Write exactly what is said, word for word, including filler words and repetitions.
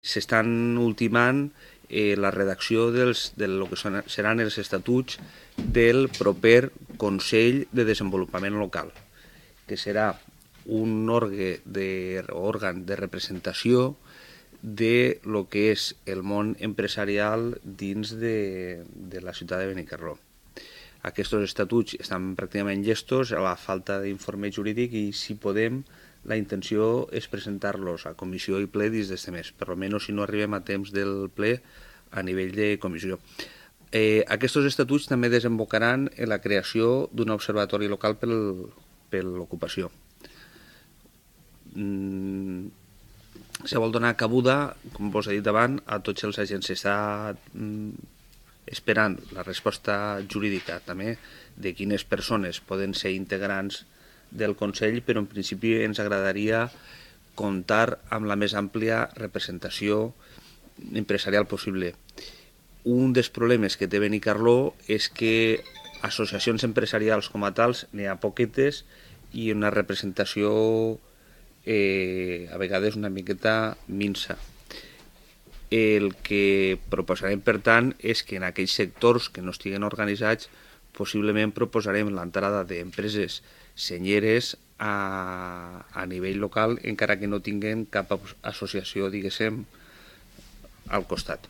S'estan ultimant eh, la redacció dels, de lo que són, seran els estatuts del proper Consell de Desenvolupament Local, que serà un òrgan de, òrgan de representació de lo que és el món empresarial dins de, de la ciutat de Benicarló. Aquests estatuts estan pràcticament llestos a la falta d'informe jurídic i, si podem, la intenció és presentar-los a comissió i ple dins d'este mes, per almenys si no arribem a temps del ple a nivell de comissió. Eh, aquests estatuts també desembocaran en la creació d'un observatori local per, per l'ocupació. Mm, se vol donar cabuda, com vos he dit abans, a tots els agents. S'està mm, esperant la resposta jurídica també de quines persones poden ser integrants del Consell, però en principi ens agradaria comptar amb la més àmplia representació empresarial possible. Un dels problemes que té Benicarló és que associacions empresarials com a tals n'hi ha poquetes i una representació eh, a vegades una miqueta minsa. El que proposarem, per tant, és que en aquells sectors que no estiguen organitzats possiblement proposarem l'entrada d'empreses senyeres a, a nivell local, encara que no tinguin cap associació, diguéssim, al costat.